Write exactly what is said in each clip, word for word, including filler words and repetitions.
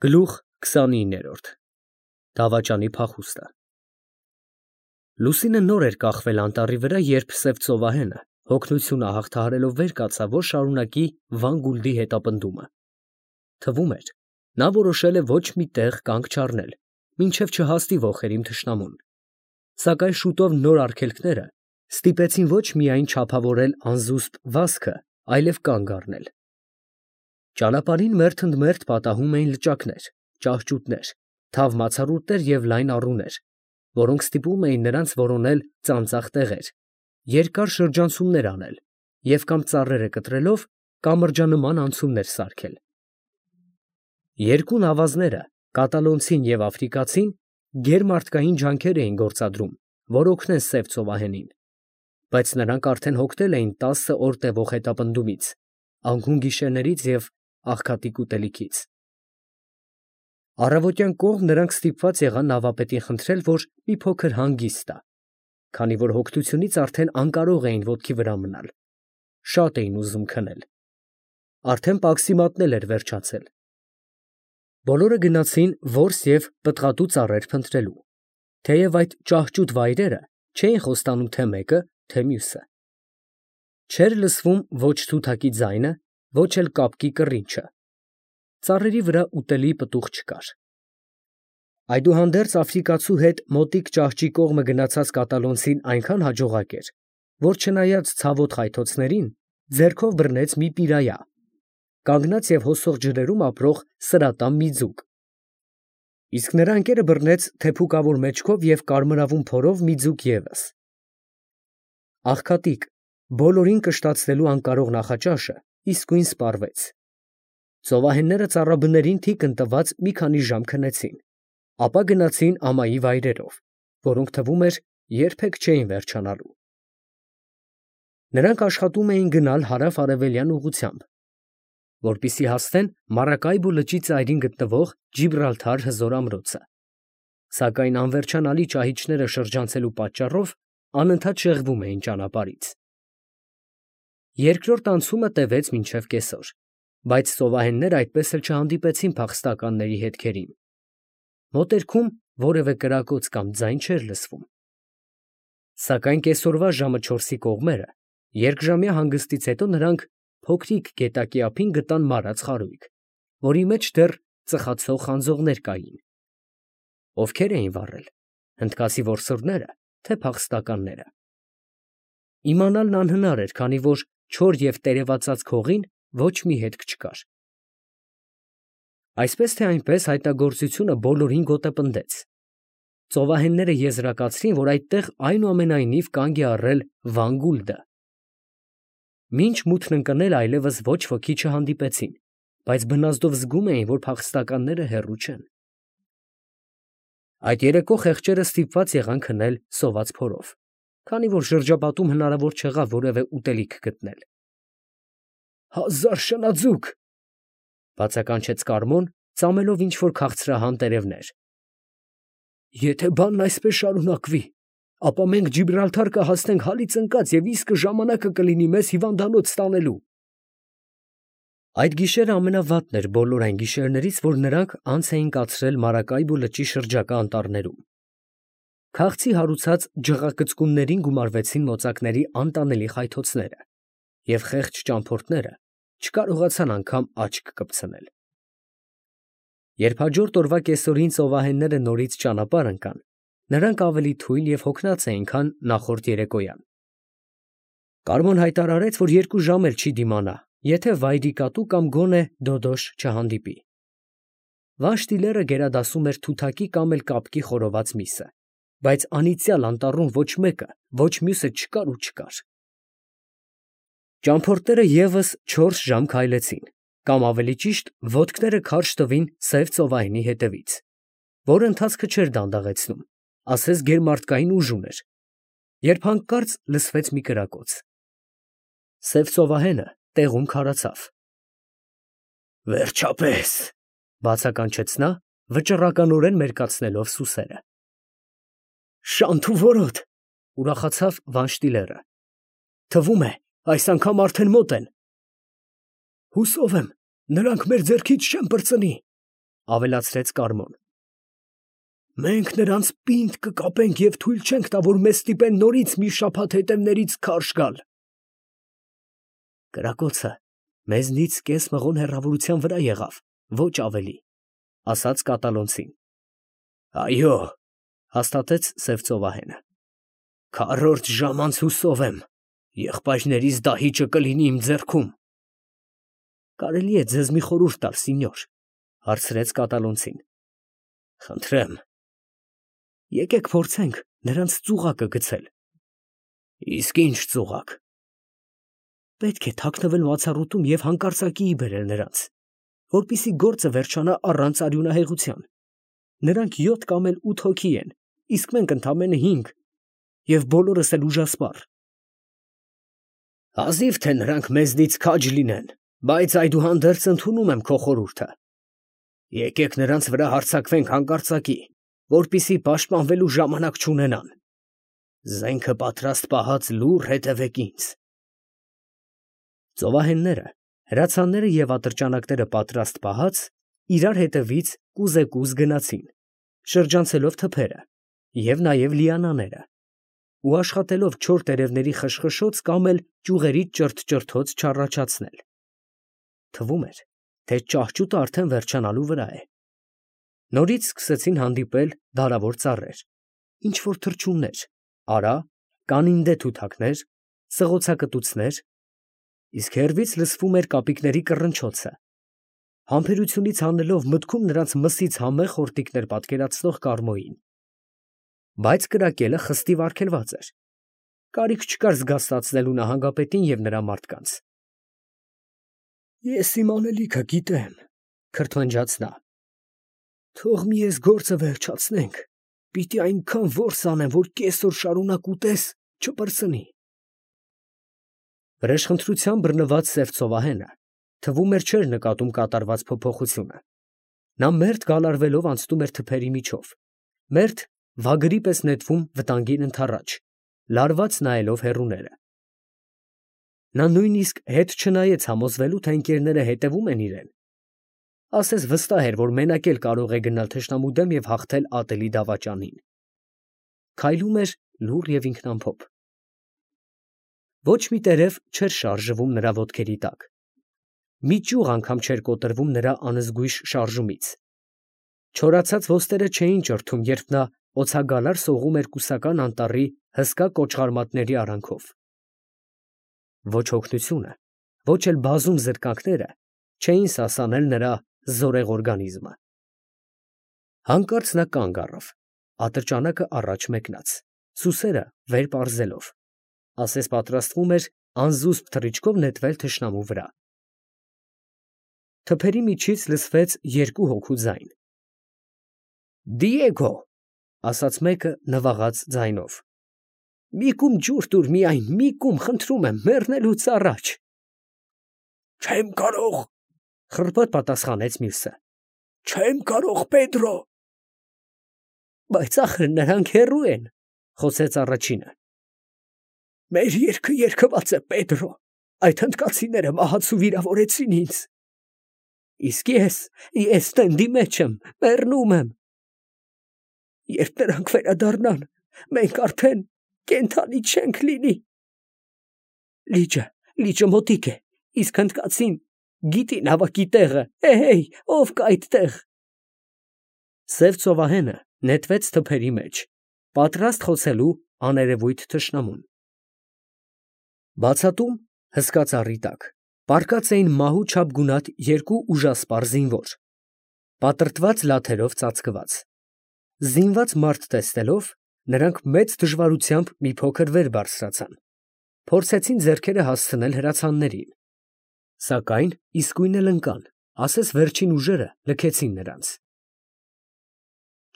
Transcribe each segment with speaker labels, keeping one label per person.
Speaker 1: Գլուխ քսանիններորդ Դավաճանի փախուստը Լուսինը նոր էր կախվել անտառի վրա, երբ սև ծովահենը, հոգնությունը հաղթահարելով վեր կացավ, որ շարունակի Վան Գուլդի հետապնդումը։ Թվում էր, նա որոշել է ոչ մի տեղ կանգ չառնել, մինչև չհասնի ոխերիմ թշնամուն։ Սակայն շուտով նոր արգելքները ստիպեցին ոչ միայն չափավորել անզուսպ վազքը, այլև կանգ առնել։ Ճանապարհին մերթընդմերթ պատահում էին լճակներ, ճահճուտներ, թավ մացառուտներ և լայն առուներ, որոնք ստիպում էին նրանց որոնել ծանծաղ տեղեր, երկար շրջանցումներ անել և կամ ծառերը կտրելով, կամ մրջանման անցումներ սարքել։ Երկու նավազները, կատալոնցին և աֆրիկացին, գերմարտկային ջանքեր էին գործադրում, որ օգնեն սև ծովահենին, բայց նրանք արդեն հոգնել էին տասը օր տևող հետապնդումից, անկուն գիշերներից և աղքատիկ ուտելիքից։ Առավոտյան կողմ նրանք ստիպված եղան նավապետին խնդրել, որ մի փոքր հանգիստ տա, քանի որ հոգնությունից արդեն անկարող էին ոտքի վրա մնալ, շատ էին ուզում քնել։ Արդեն պաքսիմատն էլ էր վերջացել։ Բոլորը գնացին որս և պտղատու ծառեր փնտրելու, թեև այդ ճահճուտ վայրերը չէին խոստանում թե մեկը, թե մյուսը։ Չէր լսվում ոչ թութակի ձայնը, ոչ էլ կապկի կռինչը։ Ծառերի վրա ուտելի պտուղ չկար։ Այդուհանդերձ աֆրիկացու հետ մոտիկ ճահճի կողմը գնացած կատալոնցին այնքան հաջողակ էր, որ չնայած ցավոտ խայթոցներին, ձեռքով բռնեց մի պիրայա, կանգնած և հոսող ջրերում ապրող սրատամ մի ձուկ, իսկ նրա ընկերը բռնեց թեփուկավոր մեջքով և կարմրավուն փորով մի ձուկ ևս։ Աղքատիկ, բոլորին կշտացնելու անկարող նախաճաշը իսկույն սպառվեց։ Ծովահենները ծառաբներին թիկն տված մի քանի ժամ քնեցին, ապա գնացին ամայի վայրերով, որոնք թվում էր երբեք չէին վերջանալու։ Նրանք աշխատում էին գնալ հարավ֊արևելյան ուղղությամբ, որպեսզի հասնեն Մարակայբո լճի ծայրին գտնվող Ջիբրալթար հզոր ամրոցը, սակայն անվերջանալի ճահիճները շրջանցելու պատճառով անընդհատ շեղվում էին ճանապարհից։ Երկրորդ անցումը տևեց մինչև կեսօր, բայց ծովահենները այդպես էլ չհանդիպեցին փախստականների հետքերին։ Մոտերքում որևէ կրակոց կամ ձայն չէր լսվում։ Սակայն կեսօրվա ժամը չորսի կողմերը, երկժամյա հանգստից հետո նրանք փոքրիկ գետակի ափին գտան մարած խարույկ, որի մեջ դեռ ծխացող խանձողներ կային։ Ովքեր էին վառել, հնդկացի որսորդնե՞րը, թե փախստականները։ Իմանալն անհնար էր, քանի որ չոր և տերևածած քողին ոչ մի հետք չկար։ Այսպես թե այնպես հայտնագործությունը բոլորին գոտեպնդեց։ Ծովահենները եզրակացրին, որ այդտեղ այնուամենայնիվ կանգ է առել Վան Գուլդը։ Մինչ մութն ընկնել այլևս ոչ ոքի չհանդիպեցին, բայց բնազդով զգում էին, որ փախստականները հեռու չեն։ Այդ երեկո խեղճերը ստիպված եղան քնել սոված փորով, քանի որ շրջապատում հնարավոր չեղավ որևէ ուտելիք գտնել։ «Հազար շնաձուկ», ֊ բացականչեց Կարմոն, ծամելով ինչ֊որ քաղցրահան տերևներ։ «Եթե բանն այսպես շարունակվի, ապա մենք Ջիբրալթար կհասնենք հալից ընկած և իսկը ժամանակը կլինի մեզ հիվանդանոց տանելու»։ Այդ գիշերն ամենավատն էր բոլոր այն գիշերներից, որ նրանք անց էին կացրել Մարակայբո լճի շրջակա անտառներում։ Քաղցի հարուցած ջղակծկուններին գումարվեցին մոծակների անտանելի խայթոցները, և խեղճ ճամփորդները չկարողացան անգամ աչք կպցնել։ Երբ հաջորդ օրվա կեսօրին ծովահենները նորից ճանապարհ ընկան, նրանք ավելի թույլ և հոգնած էին, քան նախորդ երեկոյան։ Կարմոն հայտարարեց, որ երկու ժամ էլ չի դիմանա, եթե վայրի կատու կամ գոնե դոդոշ չհանդիպի։ Վանշտիլերը գերադասում էր թութակի կամ էլ կապկի խորոված միսը, բայց անիծյալ անտառում ոչ մեկը, ոչ մյուսը չկար ու չկար։ Ճամփորդները ևս չորս ժամ քայլեցին, կամ ավելի ճիշտ ոտքները քարշ տվին սև ծովահենի հետևից, որը ընթացքը չէր դանդաղեցնում, ասես գերմարտկային ուժ ուներ, երբ հանկարծ լսվեց մի կրակոց։ Սև ծովահենը տեղում քարացավ։ «Վերջապես», ֊ բացականչեց նա, վճռականորեն մերկացնելով սուսերը։ «Շանթ ու որոտ», ֊ ուրախացավ Վանշտիլերը։ «Թվում է, այս անգամ արդեն մոտ են»։ «Հուսով եմ, նրանք մեր ձեռքից չեն պրծնի», ավելացրեց Կարմոն։ Մենք նրանց պինդ կկապենք և թույլ չենք տա, որ մեզ ստիպեն նորից մի շաբաթ հետևներից քարշ գալ։ Կրակոցը մեզնից կես մղոն հեռավորության վրա եղավ, ոչ ավելի, ասաց կատալոնցին։ Այո, հաստատեց սև ծովահենը։ Քառորդ ժամ անց հուսով եմ, եղբայրներիս դահիճը կլինի իմ ձեռքում։ Կարելի է ձեզ մի խորհուրդ տալ, սինյոր, հարցրեց կատալոնցին։ Խնդրեմ։ Եկեք փորձենք նրանց ծուղակը գցել։ Իսկ ինչ ծուղակ։ Պետք է թաքնվել մացառուտում և հանկարծակիի բերել նրանց, որպեսզի գործը վերջանա առանց արյունահեղության։ Նրանք յոթ կամ էլ ութ հոգի են, իսկ մենք ընդամենը հինգ, և բոլորս էլ ուժասպառ։ Հազիվ թե նրանք մեզնից քաջ լինեն, բայց այդուհանդերձ ընդունում եմ քո խորհուրդը։ Եկեք նրանց վրա հարձակվենք հանկարծակի, որպեսզի պաշտպանվելու ժամանակ չունենան։ Զենքը պատրաստ պահած լուռ հետևեք ինձ։ Ծովահենները, հրացանները և ատրճանակները պատրաստ պահած, իրար հետևից կուզեկուզ գնացին, շրջանցելով թփերը և նաև լիանաները, ու աշխատելով չոր տերևների խշխշոց կամ էլ ճյուղերի ճրթ֊ճրթոց չառաջացնել։ Թվում էր, թե ճահճուտը արդեն վերջանալու վրա է։ Նորից սկսեցին հանդիպել դարավոր ծառեր, ինչ֊որ թռչուններ, արա, կանինդե թութակներ, սղոցակտուցներ, իսկ հեռվից լսվում էր կապիկների կռնչոցը, համբերությունից հանելով մտքում նրանց մսից համեղ խորտիկներ պատկերացնող Կարմոյին։ Բայց կրակելը խստիվ արգելված էր, կարիք չկար զգաստացնելու նահանգապետին և նրա մարդկանց։ Ես իմ անելիքը գիտեմ, քրթմնջաց նա։ Թող մի էս գործը վերջացնենք, պիտի այնքան որս անեմ, որ կես օր շարունակ ուտես, չպրծնի։ Վրեժխնդրությամբ բռնված սև ծովահենը թվում էր չէր նկատում կատարված փոփոխությունը։ Նա մերթ գալարվելով անցնում էր թփերի միջով, մերթ վագրի պես նետվում վտանգին ընդառաջ, լարված նայելով հեռուները։ Նա նույնիսկ հետ չնայեց համոզվելու, թե ընկերները հետևում են իրան, ասես վստահ էր, որ մենակ էլ կարող է գնալ թշնամու դեմ և հաղթել ատելի դավաճանին։ Քայլում էր լուռ և ինքնամփոփ։ Ոչ մի տերև չէր շարժվում նրա ոտքերի տակ։ Մի ճյուղ անգամ չէր կոտրվում նրա անզգույշ շարժումից։ Չորացած ոստերը չէին ճրթում, երբ նա օձագալար սողում էր կուսական անտառի հսկա կոճղարմատների արանքով։ Ոչ օգնությունը, ոչ էլ բազում զրկանքները չէին սասանել նրա զորեղ օրգանիզմը։ Հանկարծ նա կանգ առավ, ատրճանակը առաջ մեկնած, սուսերը վեր պարզելով, ասես պատրաստվում էր անզուսպ թռիչքով նետվել թշնամու վրա։ Թփերի միջից լսվեց երկու հոգու ձայն։ Դիեգո, ասաց մեկը նվաղած ձայնով, մի կում ջուր տուր միայն, մի կում, խնդրում եմ, մեռնելուց առաջ։ Չեմ կարող, խռպոտ պատասխանեց մյուսը։ Չեմ կարող, Պետրո։ Բայց ախր նրանք հեռու են, խոսեց առաջինը։ Մեր երգը երգված է, Պետրո, այդ հնդկացիները մահացու վիրավորեցին ինձ։ Իսկ ես, ես տենդի մեջ եմ, մեռնում եմ։ Երբ նրանք վերադառնան, մենք արդեն կենդանի չենք լինի։ Լիճը, լիճը մոտիկ է, իսկ հնդկացին գիտի նավակի տեղը, էհեյ, ով կա այդտեղ։ Սև ծովահենը նետվեց թփերի մեջ, պատրաստ խոցելու աներևույթ թշնամուն։ Բացատում, հսկա ծառի տակ, պառկած էին մահու չափ գունատ երկու ուժասպառ զինվոր, պատրտված լաթերով ծածկված։ Զինված մարդ տեսնելով, նրանք մեծ դժվարությամբ մի փոքր վեր բարձրացան, փորձեցին ձեռքերը հասցնել հրացաններին, սակայն իսկույն էլ ընկան, ասես վերջին ուժերը լքեցին նրանց։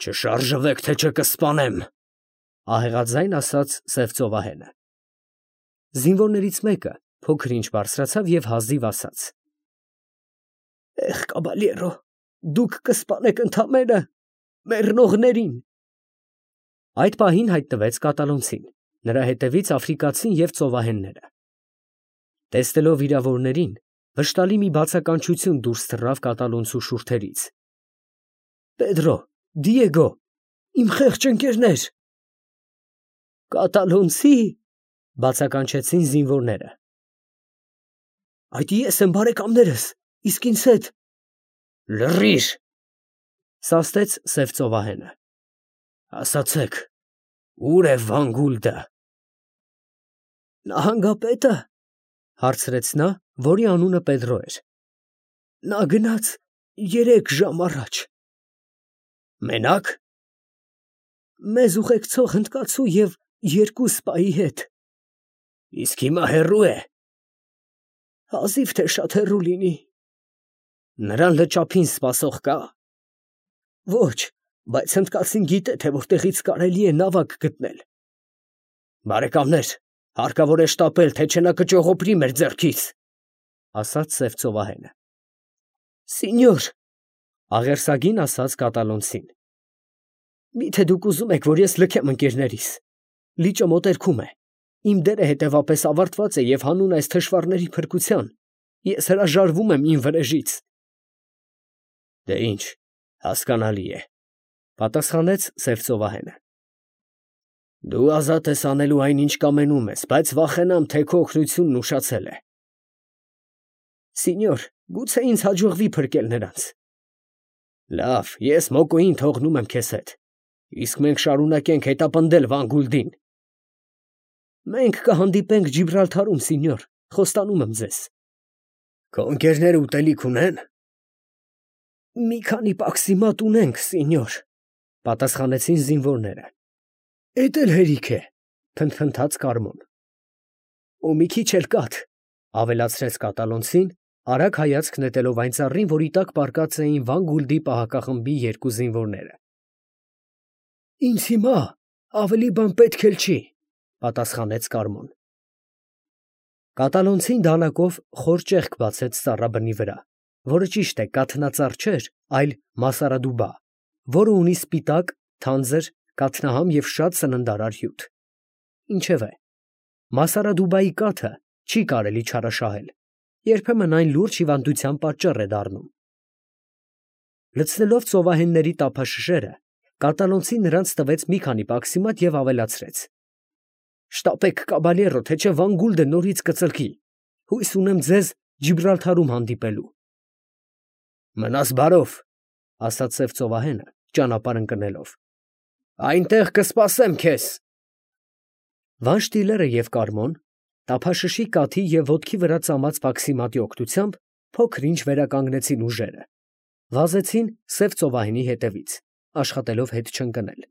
Speaker 1: Չշարժվեք, թե չկսպանեմ, ահեղաձայն ասաց սև ծովահենը։ Զինվորներից մեկը փոքր-ինչ բարձրացավ և հազիվ ասաց. Էխ, կաբալյերո, դուք կսպանեք ընդամենը մեռնողներին։ Այդ պահին հայտնվեց կատալոնցին, նրա հետևից աֆրիկացին և ծովահենները։ Տեսնելով վիրավորներին, վշտալի մի բացականչություն դուրս թռավ կատալոնցու շուրթերից։ Պեդրո, Դիեգո, իմ խեղճ ընկերներ։ Կատալոնցի, բացականչեցին զինվորները։ Այդ ես եմ, բարեկամներս, իսկ ինձ հետ։ Լռիր, սաստեց սև ծովահենը։ Ասացեք, ուր է Վանգուլդը։ Նահանգապետը, հարցրեց նա, որի անունը Պեդրո էր։ Նա գնաց երեք ժամ առաջ։ Մենակ։ Մեզ ուղեկցող հնդկացու և երկու սպայի հետ։ Իսկ հիմա հեռու է։ Հազիվ թե շատ հեռու լինի։ Նրան լճափին սպասող կա։ Ոչ, բայց հնդկացին գիտե, թե որտեղից կարելի է նավակ գտնել։ Բարեկամներ, հարկավոր է շտապել, թե չէ նա կճողոպրի մեր ձեռքից, ասաց սև ծովահենը։ Սինյոր, աղերսագին ասաց կատալոնցին։ Միթե դուք ուզում եք, որ ես լքեմ ընկերներիս։ Լիճը մոտերքում է։ Իմ դերը հետևապես ավարտված է և հանուն այս թշվառների փրկության ես հրաժարվում եմ իմ վրեժից։ Դե ինչ, հասկանալի է, պատասխանեց սև ծովահենը։ Դու ազատ ես անելու այն, ինչ կամենում ես, բայց վախենամ, թե քո օգնությունն ուշացել է։ Սինյոր, գուցե ինձ հաջողվի փրկել նրանց։ Լավ, ես Մոկոյին թողնում եմ քեզ հետ, իսկ մենք շարունակենք հետապնդել Վանգուլդին։ Մենք կհանդիպենք Ջիբրալթարում, սինյոր, խոստանում եմ ձեզ։ Քո ընկերները ուտելիք ունեն։ Մի քանի պաքսիմատ ունենք, սինյոր, պատասխանեցին զինվորները։ Էդ էլ հերիք է, փնթփնթաց Կարմոն։ Ու մի քիչ էլ կաթ, ավելացրեց կատալոնցին, արագ հայացք նետելով այն ծառին, որի տակ պառկած էին Վանգուլդի պահակախմբի երկու զինվորները։ Ինձ հիմա ավելի բան պետք էլ չի, պատասխանեց Կարմոն։ Կատալոնցին դանակով խոր ճեղք բացեց ծառաբնի վրա, որը ճիշտ է կաթնածառ չէր, այլ մասարադուբա, որը ունի սպիտակ, թանձր, կաթնահամ և շատ սննդարար հյութ։ Ինչևէ, մասարադուբայի կաթը չի կարելի չարաշահել, երբեմն այն լուրջ հիվանդության պատճառ է դառնում։ Լցնելով ծովահենների տափաշշերը, կատալոնցին նրանց տվեց մի քանի պաքսիմատ և ավելացրեց. Շտապեք, կաբալյերո, թե չէ Վանգուլդը նորից կծլկի։ Հույս ունեմ ձեզ Ջիբրալթարում հանդիպելու։ Մնաս բարով, ասաց սև ծովահենը, ճանապարհ ընկնելով։ Այնտեղ կսպասեմ քեզ։ Վանշտիլերը և Կարմոն, տափաշշի կաթի և ոտքի վրա ծամած պաքսիմատի օգնությամբ փոքր-ինչ վերականգնեցին ուժերը, վազեցին սև ծովահենի հետևից, աշխատելով հետ չընկնել։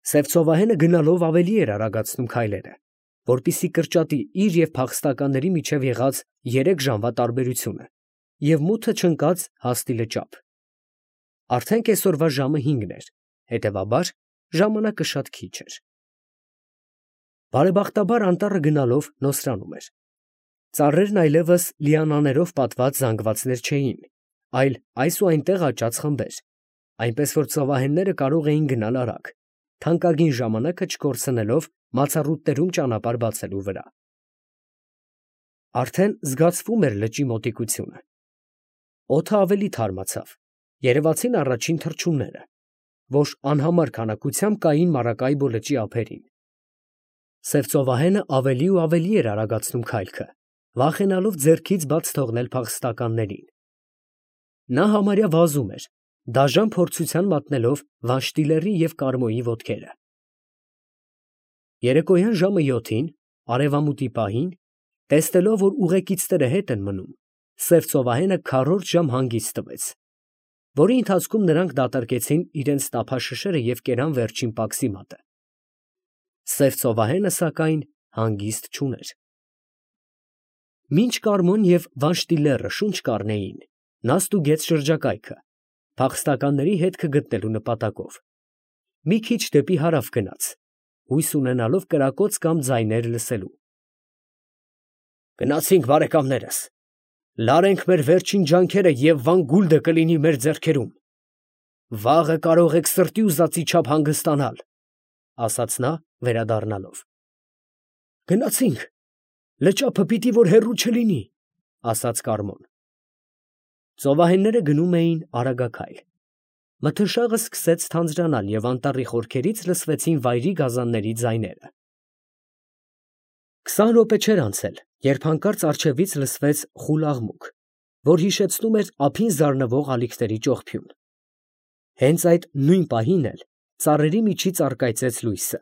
Speaker 1: Սև ծովահենը գնալով ավելի էր արագացնում քայլերը, որպեսզի կրճատի իր և փախստականների միջև եղած երեք ժամվա տարբերությունը և մութը չընկած հասնի լճափ։ Արդեն կեսօրվա ժամը հինգն էր, հետևաբար ժամանակը շատ քիչ էր։ Բարեբախտաբար անտառը գնալով նոսրանում էր։ Ծառերն այլևս լիանաներով պատված զանգվածներ չէին, այլ այս ու այնտեղ աճած խմբեր, այնպես որ ծովահենները կարող էին գնալ արագ, թանկագին ժամանակը չկորցնելով մացառուտներում ճանապարհ բացելու վրա։ Արդեն զգացվում էր լճի մոտիկությունը։ Օդը ավելի թարմացավ, երևացին առաջին թռչունները, որ անհամար քանակությամբ կային Մարակայբո լճի ափերին։ Սև ծովահենը ավելի ու ավելի էր արագացնում քայլքը, վախենալով ձեռքից բաց թողնել փախստականներին։ Նա համարյա վազում էր, դաժան փորձության մատնելով Վանշտիլերի և Կարմոյի ոտքերը։ Երեկոյան ժամը յոթին, արևամուտի պահին, տեսնելով, որ ուղեկիցները հետ են մնում, սև ծովահենը քառորդ ժամ հանգիստ տվեց, որի ընթացքում նրանք դատարկեցին իրենց տափաշշերը և կերան վերջին պաքսիմատը։ Սև ծովահենը, սակայն, հանգիստ չուներ։ Մինչ Կարմոն և Վանշտիլերը շունչ կառնեին, նա ստուգեց շրջակայքը, փախստականների հետքը գտնելու նպատակով։ Մի քիչ դեպի հարավ գնաց, հույս ունենալով կրակոց կամ ձայներ լսելու։ Գնացինք, բարեկամներս, լարենք մեր վերջին ջանքերը և Վանգուլդը կլինի մեր ձեռքերում։ Վաղը կարող եք սրտի ուզածի չափ հանգստանալ, ասաց նա վերադառնալով։ Գնացինք, լճափը պիտի որ հեռու չլինի, ասաց Կարմոն։ Ծովահենները գնում էին արագաքայլ։ Մթնշաղը սկսեց թանձրանալ և անտառի խորքերից լսվեցին վայրի գազանների ձայները։ Քսան րոպե չէր անցել, երբ հանկարծ առջևից լսվեց խուլ աղմուկ, որ հիշեցնում էր ափին զարնվող ալիքների ճողփյուն։ Հենց այդ նույն պահին էլ ծառերի միջից առկայծեց լույսը։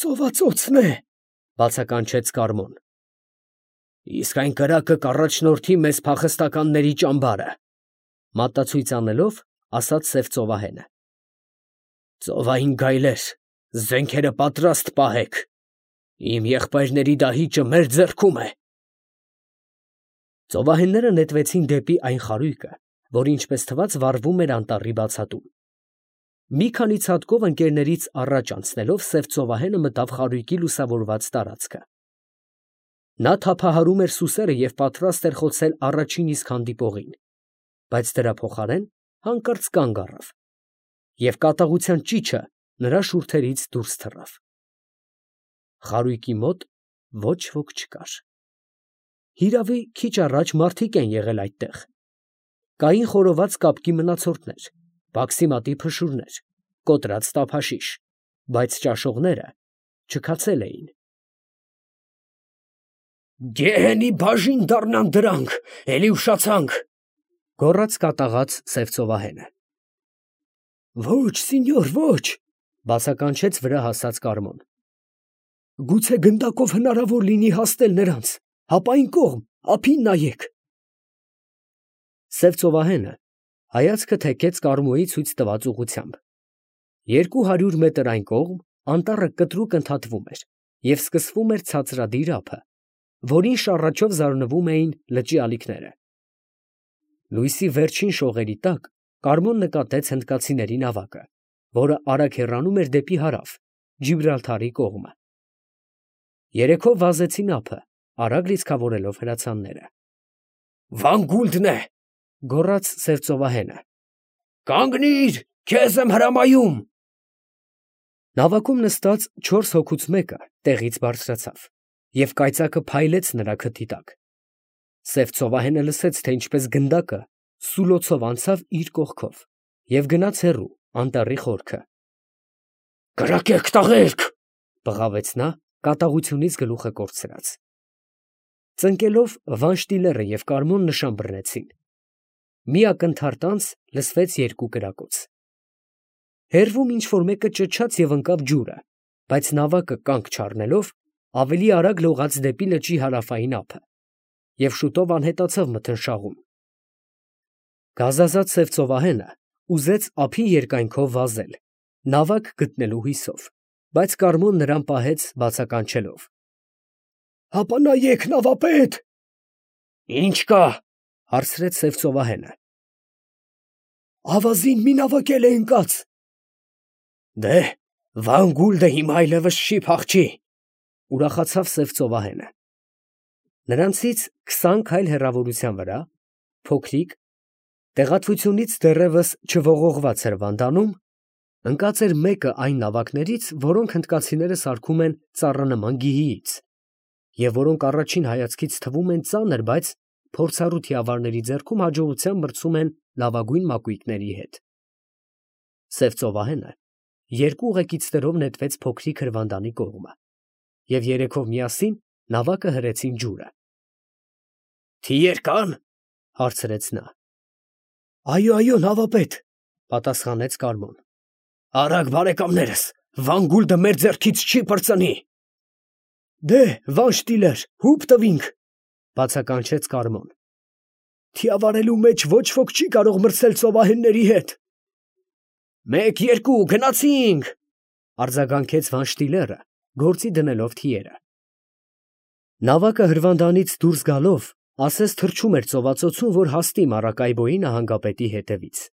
Speaker 1: «Ծովածոցն է», բացականչեց Կարմոն։ «Իսկ այն կրակը կառաջնորդի մեզ փախստականների ճամբարը», մատածույց անելով, ասաց սև ծովահենը։ «Ծովային գայլեր, զենքերը պատրաստ պահեք, իմ եղբայրների դահիճը մեր ձեռքում է»։ Ծովահենները նետվեցին դեպի այն խարույկը, որ ինչպես թվաց վառվում էր անտառի բացատում։ Մի քանի ցատկով ընկերներից առաջ անցնելով սև ծովահենը մտավ խարույկի լուսավորված տարածքը։ Նա թափահարում էր սուսերը և պատրաստ էր խոցել առաջին իսկ հանդիպողին, բայց դրա փոխարեն հանկարծ կանգ առավ, և կատաղության ճիչը նրա շուրթերից դուրս թռավ։ Խարույկի մոտ ոչ ոք չկար։ Հիրավի, քիչ առաջ մարդիկ են եղել այդտեղ։ Կային խորոված կապկի մնացորդներ, բաքսիմատի փշուրներ, կոտրած տափաշիշ, բայց ճաշողները չքացել էին։ «Գեհենի բաժին դառնան դրանք, էլի ուշացանք», գոռաց կատաղած սև ծովահենը։ «Ոչ, սինյոր, ոչ», բացականչեց վրա հասած Կարմոն։ «Գուցե գնդակով հնարավոր լինի հասնել նրանց, հապա այն կողմ, ափին նայեք»։ Սև ծովահենը հայացքը թեքեց Կարմոյի ցույց տված ուղղությամբ։ Երկու հարյուր մետր այն կողմ անտառը կտրուկ ընդհատվում էր և սկսվում էր ցածրադիր ափը, որին շառաչով զարնվում էին լճի ալիքները։ Լույսի վերջին շողերի տակ Կարմոն նկատեց հնդկացիների նավակը, որը արագ հեռանում էր դեպի հարավ, Ջիբրալթարի կողմը։ Երեքով վազեցին ափը, արագ լիցքավորելով հրացանները։ «Վանգուլդն է», գոռաց սև ծովահենը։ «Կանգնի՛ր, քեզ եմ հրամայում»։ Նավակում նստած չորս հոգուց մեկը տեղից բարձրացավ, և կայծակը փայլեց նրա քթի տակ։ Սև ծովահենը լսեց, թե ինչպես գնդակը սուլոցով անցավ իր կողքով և գնաց հեռու, անտառի խորքը։ «Կրակե՛ք, տղե՛րք», բղավեց նա, կատաղությունից գլուխը կորցրած։ Ծնկելով Վանշտիլերը և Կարմոն նշան բռնեցին։ Մի ակնթարթ անց լսվեց երկու կրակոց։ Հեռվում ինչ֊որ մեկը ճչաց և ընկավ ջուրը, բայց նավակը կանգ չառնելով, ավելի արագ լողաց դեպի լճի հարավային ափը և շուտով անհետացավ մթնշաղում։ Գազազած սև ծովահենը ուզեց ափի երկայնքով վազել, նավակ գտնելու հույսով, բայց Կարմոն նրան պահեց բացականչելով. «Հապա նայեք, նավապետ»։ «Ի՞նչ կա», հարցրեց սև ծովահենը։ «Ավազին մի նավակ էլ է ընկած»։ «Դե, Վանգուլդը հիմա այլևս չի փախչի», ուրախացավ սև ծովահենը։ Նրանցից քսան քայլ հեռավորության վրա, փոքրիկ, տեղատվությունից դեռևս չողողված էր Վանդանում, ընկած էր մեկը այն նավակներից, որոնք հնդկացիները սարքում են ծառանման գիհիից, և որոնք առաջին հայացքից թվում են ծանր, բայց փորձառու թիավարների ձեռքում հաջողությամբ մրցում են լավագույն մակույկների հետ։ Սև ծովահենը երկու ուղեկիցներով նետվեց փոքրիկ հրվանդանի կողմը, և երեքով միասին նավակը հրեցին ջուրը։ «Թիեր կա՞ն», հարցրեց նա։ «Այո, այո, նավապետ», պատասխանեց Կարմոն։ «Արագ, բարեկամներս, Վանգուլդը մեր ձեռքից չի պրծնի»։ «Դե, Վանշտիլեր, հուպ տվինք», բացականչեց Կարմոն։ «Թիավարելու մեջ ոչ ոք չի կարող մրցել ծովահենների հետ»։ «Մեկ, երկու, գնացինք», արձագանքեց Վանշտիլերը, գործի դնելով թիերը։ Նավակը հրվանդանից դուրս գալով ասես թռչում էր ծովածոցում, որ հասնի Մարակայբոյի նահանգապետի հետևից։